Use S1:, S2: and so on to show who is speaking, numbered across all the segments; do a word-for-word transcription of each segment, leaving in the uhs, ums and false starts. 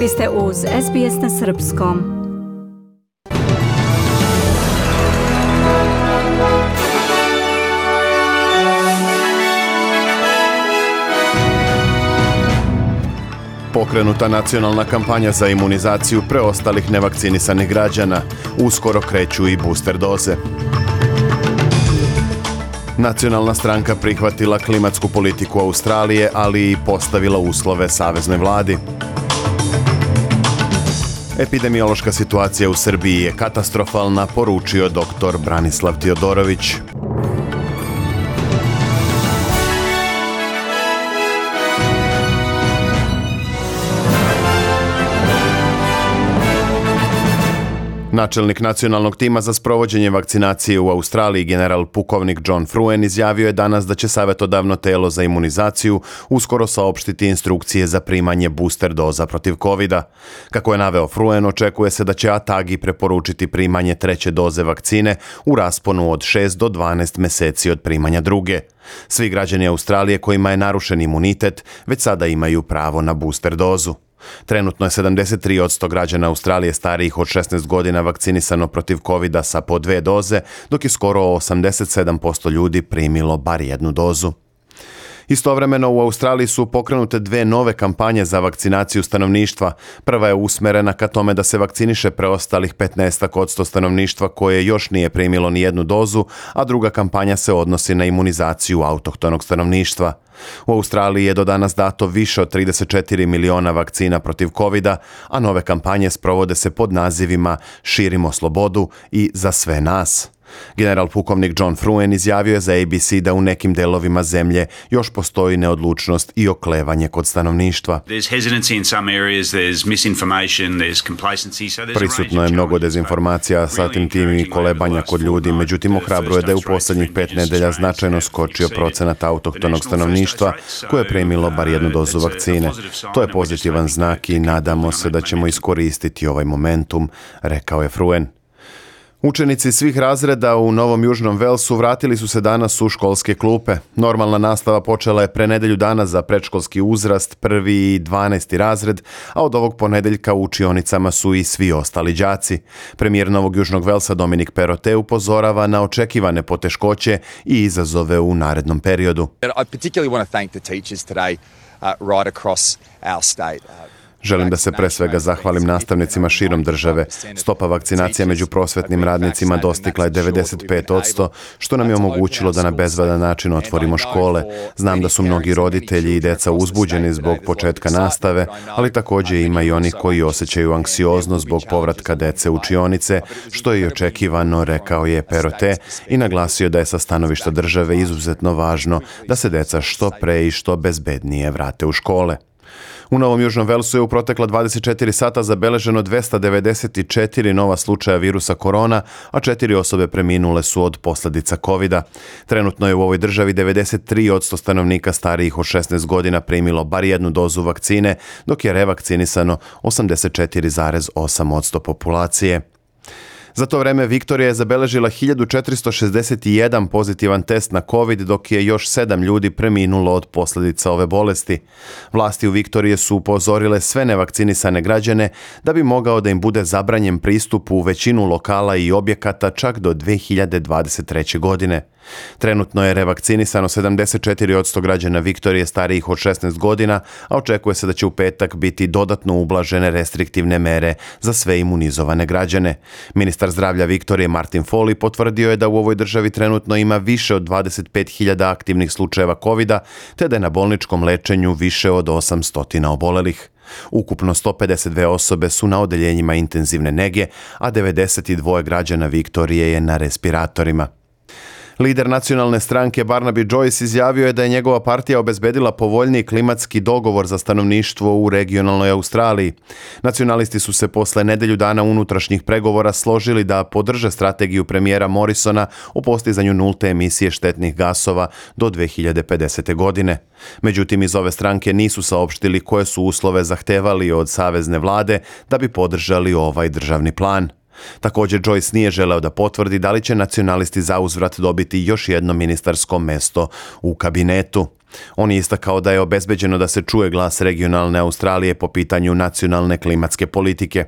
S1: Vi ste uz S B S na srpskom.
S2: Pokrenuta nacionalna kampanja za imunizaciju preostalih nevakcinisanih građana. Uskoro kreću i booster doze. Nacionalna stranka prihvatila klimatsku politiku Australije, ali i postavila uslove saveznoj vladi. Epidemiološka situacija u Srbiji je katastrofalna, poručio doktor Branislav Tiodorović. Načelnik nacionalnog tima za sprovođenje vakcinacije u Australiji, general pukovnik John Fruen, izjavio je danas da će savjetodavno telo za imunizaciju uskoro saopštiti instrukcije za primanje booster doza protiv kovida. Kako je naveo Fruen, očekuje se da će ATAGI preporučiti primanje treće doze vakcine u rasponu od šest do dvanaest meseci od primanja druge. Svi građani Australije kojima je narušen imunitet već sada imaju pravo na booster dozu. Trenutno je sedamdeset tri posto građana Australije starijih od šesnaest godina vakcinisano protiv kovida sa po dve doze, dok je skoro osamdeset sedam posto ljudi primilo bar jednu dozu. Istovremeno u Australiji su pokrenute dve nove kampanje za vakcinaciju stanovništva. Prva je usmerena ka tome da se vakciniše preostalih petnaest posto stanovništva koje još nije primilo ni jednu dozu, a druga kampanja se odnosi na imunizaciju autohtonog stanovništva. U Australiji je do danas dato više od trideset četiri miliona vakcina protiv kovida, a nove kampanje sprovode se pod nazivima Širimo slobodu i Za sve nas. General pukovnik John Fruen izjavio je za A B C da u nekim delovima zemlje još postoji neodlučnost i oklevanje kod stanovništva. Prisutno je mnogo dezinformacija, zatim tim i kolebanja kod ljudi, međutim ohrabruje da je u posljednjih pet nedelja značajno skočio procenat autohtonog stanovništva koje je primilo bar jednu dozu vakcine. To je pozitivan znak i nadamo se da ćemo iskoristiti ovaj momentum, rekao je Fruen. Učenici svih razreda u Novom Južnom Velsu vratili su se danas u školske klupe. Normalna nastava počela je pre nedelju dana za predškolski uzrast, prvi i dvanaesti razred, a od ovog ponedeljka u učionicama su i svi ostali đaci. Premijer Novog Južnog Velsa Dominic Perrottet upozorava na očekivane poteškoće i izazove u narednom periodu.
S3: I particularly want to thank the teachers today uh, right across our state.
S2: Želim da se pre svega zahvalim nastavnicima širom države. Stopa vakcinacije među prosvetnim radnicima dostigla je devedeset pet posto, što nam je omogućilo da na bezbedan način otvorimo škole. Znam da su mnogi roditelji i deca uzbuđeni zbog početka nastave, ali također ima i oni koji osjećaju anksioznost zbog povratka dece u učionice, što je i očekivano, rekao je Perrottet i naglasio da je sa stanovišta države izuzetno važno da se deca što pre i što bezbednije vrate u škole. U Novom Južnom Velsu je u protekla dvadeset četiri sata zabeleženo dvesta devedeset četiri nova slučaja virusa korona, a četiri osobe preminule su od posljedica kovida. Trenutno je u ovoj državi devedeset tri posto stanovnika starijih od šesnaest godina primilo bar jednu dozu vakcine, dok je revakcinisano osamdeset četiri zarez osam posto populacije. Za to vreme Viktorija je zabeležila hiljadu četiristo šezdeset jedan pozitivan test na COVID, dok je još sedam ljudi preminulo od posljedica ove bolesti. Vlasti u Viktorije su upozorile sve nevakcinisane građane da bi mogao da im bude zabranjen pristup u većinu lokala i objekata čak do dve hiljade dvadeset treće. godine. Trenutno je revakcinisano sedamdeset četiri posto građana Viktorije starijih od šesnaest godina, a očekuje se da će u petak biti dodatno ublažene restriktivne mere za sve imunizovane građane. Ministar zdravlja Viktorije Martin Foley potvrdio je da u ovoj državi trenutno ima više od dvadeset pet hiljada aktivnih slučajeva kovida, te da je na bolničkom lečenju više od osamsto obolelih. Ukupno sto pedeset dve osobe su na odeljenjima intenzivne nege, a devedeset dva građana Viktorije je na respiratorima. Lider nacionalne stranke Barnaby Joyce izjavio je da je njegova partija obezbedila povoljniji klimatski dogovor za stanovništvo u regionalnoj Australiji. Nacionalisti su se posle nedelju dana unutrašnjih pregovora složili da podrže strategiju premijera Morrisona o postizanju nulte emisije štetnih gasova do dve hiljade pedesete. godine. Međutim, iz ove stranke nisu saopštili koje su uslove zahtevali od savezne vlade da bi podržali ovaj državni plan. Također, Joyce nije želeo da potvrdi da li će nacionalisti zauzvrat dobiti još jedno ministarsko mesto u kabinetu. On je istakao da je obezbeđeno da se čuje glas regionalne Australije po pitanju nacionalne klimatske politike.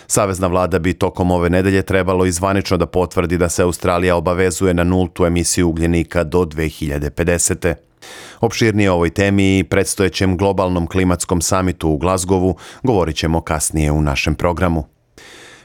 S2: Savezna vlada bi tokom ove nedelje trebalo i zvanično da potvrdi da se Australija obavezuje na nultu emisiju ugljenika do dve hiljade pedesete. Opširnije o ovoj temi i predstojećem globalnom klimatskom samitu u Glasgowu govorit ćemo kasnije u našem programu.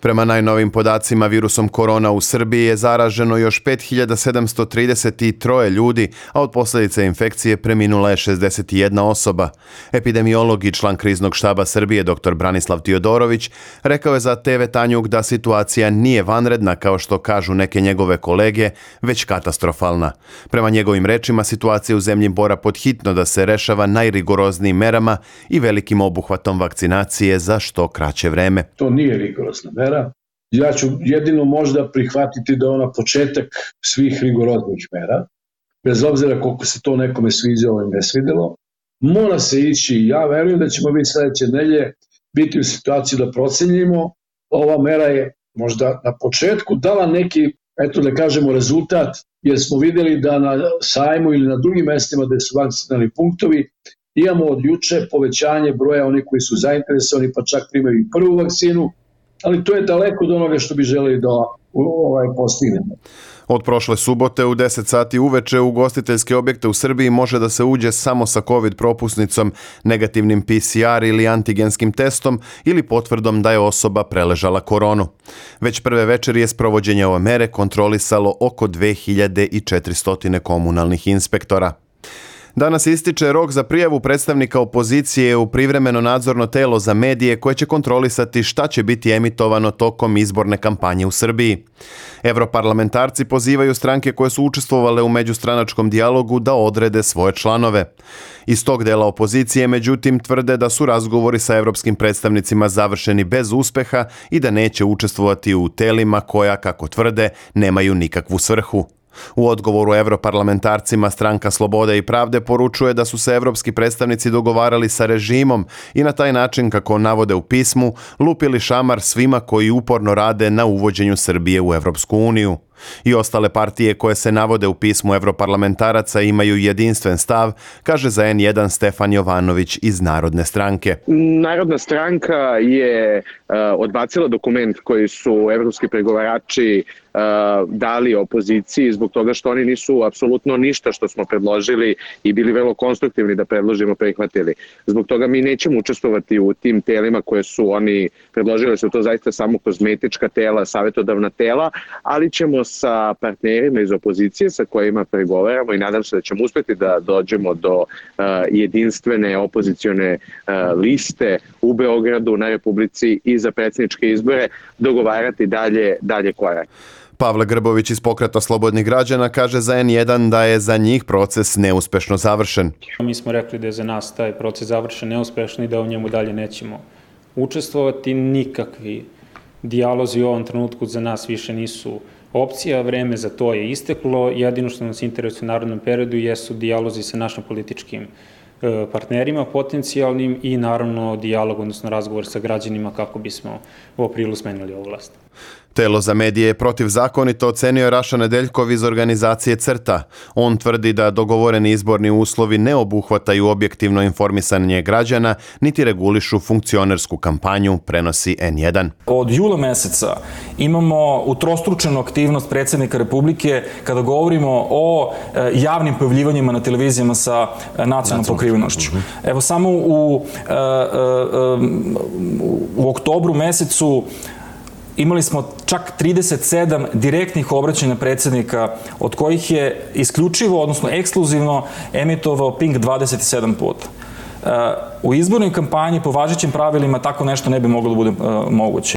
S2: Prema najnovim podacima, virusom korona u Srbiji je zaraženo još pet hiljada sedamsto trideset tri ljudi, a od posljedice infekcije preminula je šezdeset jedna osoba. Epidemiolog i član kriznog štaba Srbije dr Branislav Tiodorović rekao je za te ve Tanjug da situacija nije vanredna kao što kažu neke njegove kolege, već katastrofalna. Prema njegovim rečima, situacija u zemlji mora podhitno da se rešava najrigoroznijim merama i velikim obuhvatom vakcinacije za što kraće vreme.
S4: To nije rigorozna mera. Ja ću jedino možda prihvatiti da je ona početak svih rigoroznih mera, bez obzira koliko se to nekome sviđalo i ne svidelo. Mora se ići, ja verujem da ćemo biti sledeće nedelje biti u situaciji da procenjimo. Ova mera je možda na početku dala neki, eto da kažemo, rezultat, jer smo videli da na sajmu ili na drugim mestima gde su vakcinalni punktovi imamo od juče povećanje broja onih koji su zainteresovani, pa čak primaju i prvu vakcinu, ali to je daleko od onoga što bi želeli da ovaj, postignemo.
S2: Od prošle subote u deset sati uveče u ugostiteljske objekte u Srbiji može da se uđe samo sa COVID propusnicom, negativnim P C R ili antigenskim testom ili potvrdom da je osoba preležala koronu. Već prve večeri je sprovođenje ove mere kontrolisalo oko dve hiljade četiristo komunalnih inspektora. Danas ističe rok za prijavu predstavnika opozicije u privremeno nadzorno telo za medije koje će kontrolisati šta će biti emitovano tokom izborne kampanje u Srbiji. Evroparlamentarci pozivaju stranke koje su učestvovale u međustranačkom dijalogu da odrede svoje članove. Iz tog dela opozicije, međutim, tvrde da su razgovori sa evropskim predstavnicima završeni bez uspeha i da neće učestvovati u telima koja, kako tvrde, nemaju nikakvu svrhu. U odgovoru evroparlamentarcima stranka Slobode i pravde poručuje da su se evropski predstavnici dogovarali sa režimom i na taj način, kako navode u pismu, lupili šamar svima koji uporno rade na uvođenju Srbije u Evropsku uniju. I ostale partije koje se navode u pismu evroparlamentaraca imaju jedinstven stav, kaže za en jedan Stefan Jovanović iz Narodne stranke.
S5: Narodna stranka je uh, odbacila dokument koji su evropski pregovarači uh, dali opoziciji zbog toga što oni nisu apsolutno ništa što smo predložili i bili vrlo konstruktivni da predložimo prihvatili. Zbog toga mi nećemo učestvovati u tim telima koje su oni predložili, su to zaista samo kozmetička tela, savjetodavna tela, ali ćemo sa partnerima iz opozicije sa kojima pregovaramo i nadam se da ćemo uspjeti da dođemo do uh, jedinstvene opozicione uh, liste u Beogradu na Republici i za predsjedničke izbore dogovarati dalje, dalje korak.
S2: Pavle Grbović iz Pokreta slobodnih građana kaže za en jedan da je za njih proces neuspešno završen.
S6: Mi smo rekli da je za nas taj proces završen neuspešno i da u njemu dalje nećemo učestvovati. Nikakvi dijalozi u ovom trenutku za nas više nisu opcija, vreme za to je isteklo. Jedino što nas interesuje u narednom periodu jesu dijalozi sa našim političkim partnerima potencijalnim i naravno dijalog, odnosno razgovor sa građanima kako bismo u aprilu smenili ovu vlast.
S2: Telo za medije je protivzakonito ocenio Raša Nedeljkov iz organizacije CRTA. On tvrdi da dogovoreni izborni uslovi ne obuhvataju objektivno informisanje građana, niti regulišu funkcionersku kampanju, prenosi en jedan.
S7: Od jula meseca imamo utrostručenu aktivnost predsjednika Republike kada govorimo o javnim pojavljivanjima na televizijama sa nacionalnom pokrivenošću. Evo samo u, u oktobru mesecu imali smo čak trideset sedam direktnih obraćanja predsjednika, od kojih je isključivo, odnosno ekskluzivno, emitovao Pink dvadeset sedam puta. U izbornoj kampanji po važećim pravilima tako nešto ne bi moglo da bude moguće.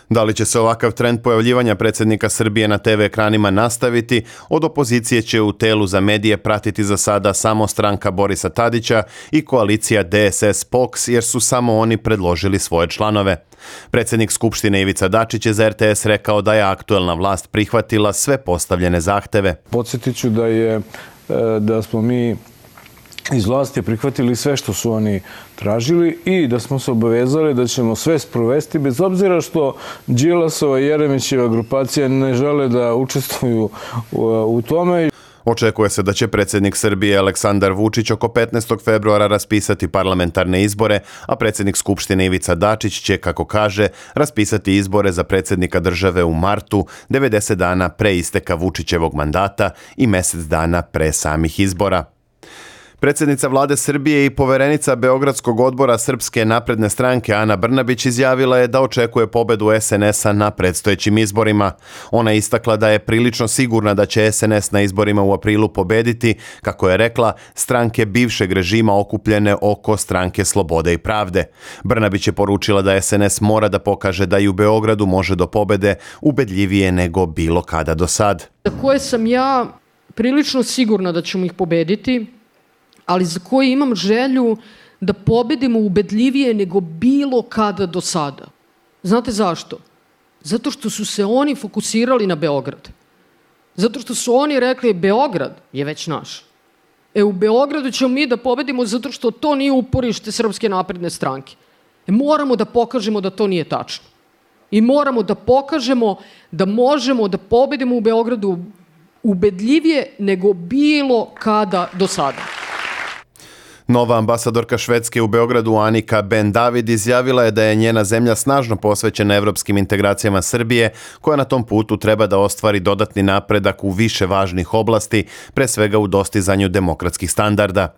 S2: Da li će se ovakav trend pojavljivanja predsjednika Srbije na te ve ekranima nastaviti, od opozicije će u telu za medije pratiti za sada samo stranka Borisa Tadića i koalicija de es es P O K S, jer su samo oni predložili svoje članove. Predsjednik Skupštine Ivica Dačić je za er te es rekao da je aktuelna vlast prihvatila sve postavljene zahteve.
S8: Podsjetit ću da je, da smo mi iz vlasti prihvatili sve što su oni tražili i da smo se obavezali da ćemo sve sprovesti, bez obzira što Đilasova i Jeremićeva grupacija ne žele da učestvuju u tome.
S2: Očekuje se da će predsjednik Srbije Aleksandar Vučić oko petnaestog februara raspisati parlamentarne izbore, a predsjednik Skupštine Ivica Dačić će, kako kaže, raspisati izbore za predsjednika države u martu, devedeset dana pre isteka Vučićevog mandata i mjesec dana pre samih izbora. Predsjednica vlade Srbije i poverenica Beogradskog odbora Srpske napredne stranke Ana Brnabić izjavila je da očekuje pobedu es en es a na predstojećim izborima. Ona je istakla da je prilično sigurna da će es en es na izborima u aprilu pobediti, kako je rekla, stranke bivšeg režima okupljene oko Stranke slobode i pravde. Brnabić je poručila da es en es mora da pokaže da i u Beogradu može do pobede ubedljivije nego bilo kada do sad.
S9: Za koje sam ja prilično sigurna da ćemo ih pobediti, ali za koje imam želju da pobedimo ubedljivije nego bilo kada do sada. Znate zašto? Zato što su se oni fokusirali na Beograd. Zato što su oni rekli Beograd je već naš. E u Beogradu ćemo mi da pobedimo zato što to nije uporište Srpske napredne stranke. E moramo da pokažemo da to nije tačno. I moramo da pokažemo da možemo da pobedimo u Beogradu ubedljivije nego bilo kada do sada.
S2: Nova ambasadorka Švedske u Beogradu Anika Ben David izjavila je da je njena zemlja snažno posvećena evropskim integracijama Srbije, koja na tom putu treba da ostvari dodatni napredak u više važnih oblasti, pre svega u dostizanju demokratskih standarda.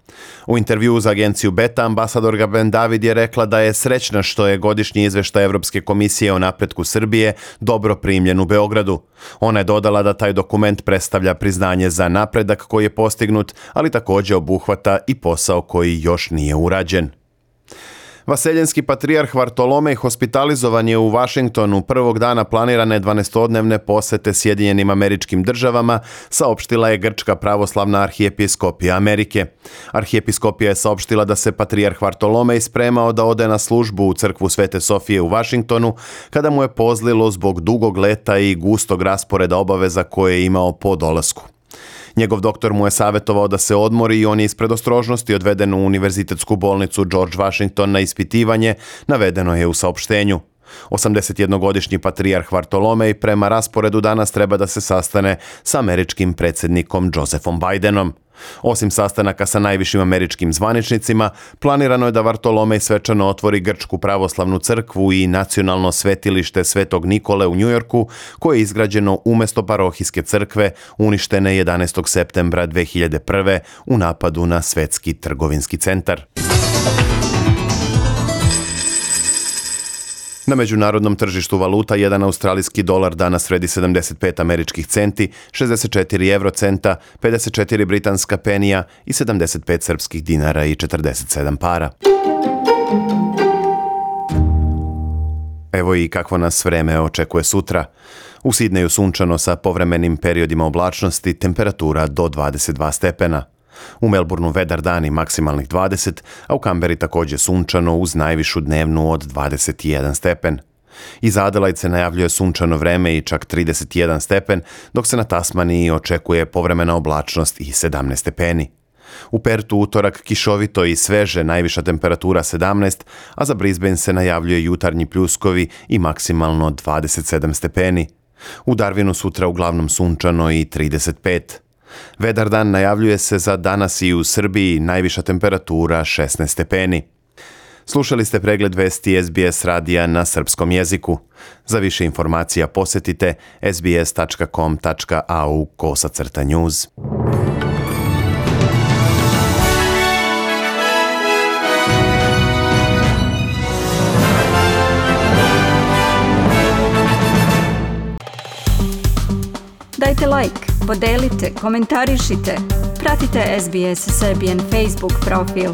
S2: U intervjuu za agenciju Beta ambasadorka Ben David je rekla da je srećna što je godišnji izveštaj Evropske komisije o napretku Srbije dobro primljen u Beogradu. Ona je dodala da taj dokument predstavlja priznanje za napredak koji je postignut, ali također obuhvata i posao koji koji još nije urađen. Vaseljenski patrijarh Vartolomej hospitalizovan je u Vašingtonu prvog dana planirane dvanaestodnevne posete Sjedinjenim Američkim Državama, saopštila je Grčka pravoslavna arhijepiskopija Amerike. Arhijepiskopija je saopštila da se patrijarh Vartolomej spremao da ode na službu u crkvu Svete Sofije u Vašingtonu, kada mu je pozlilo zbog dugog leta i gustog rasporeda obaveza koje je imao po dolasku. Njegov doktor mu je savjetovao da se odmori i on je iz predostrožnosti odveden u univerzitetsku bolnicu George Washington na ispitivanje, navedeno je u saopštenju. osamdesetjednogodišnji patrijarh Vartolomej prema rasporedu danas treba da se sastane sa američkim predsjednikom Josephom Bidenom. Osim sastanaka sa najvišim američkim zvaničnicima, planirano je da Vartolomej svečano otvori Grčku pravoslavnu crkvu i nacionalno svetilište Svetog Nikole u Njujorku, koje je izgrađeno umjesto parohijske crkve uništene jedanaestog septembra dve hiljade prve. u napadu na Svetski trgovinski centar. Na međunarodnom tržištu valuta jedan australijski dolar danas vredi sedamdeset pet američkih centi, šezdeset četiri evrocenta, pedeset četiri britanska penija i sedamdeset pet srpskih dinara i četrdeset sedam para. Evo i kakvo nas vreme očekuje sutra. U Sidneju sunčano sa povremenim periodima oblačnosti, temperatura do dvadeset dva stepena. U Melbourneu vedar dan i maksimalnih dvadeset, a u Kamberi također sunčano uz najvišu dnevnu od dvadeset jedan stepen. Iz Adelaide se najavljuje sunčano vreme i čak trideset jedan stepen, dok se na Tasmaniji očekuje povremena oblačnost i sedamnaest stepeni. U Pertu utorak kišovito i sveže, najviša temperatura sedamnaest, a za Brisbane se najavljuje jutarnji pljuskovi i maksimalno dvadeset sedam stepeni. U Darwinu sutra uglavnom sunčano i trideset pet. Vedar dan najavljuje se za danas i u Srbiji, najviša temperatura šesnaest stepeni. Slušali ste pregled vesti es be es radija na srpskom jeziku. Za više informacija posjetite es be es tačka com tačka a u kosacrta news.
S1: Dajte like, podelite, komentarišite. Pratite es be es Serbian Facebook profil.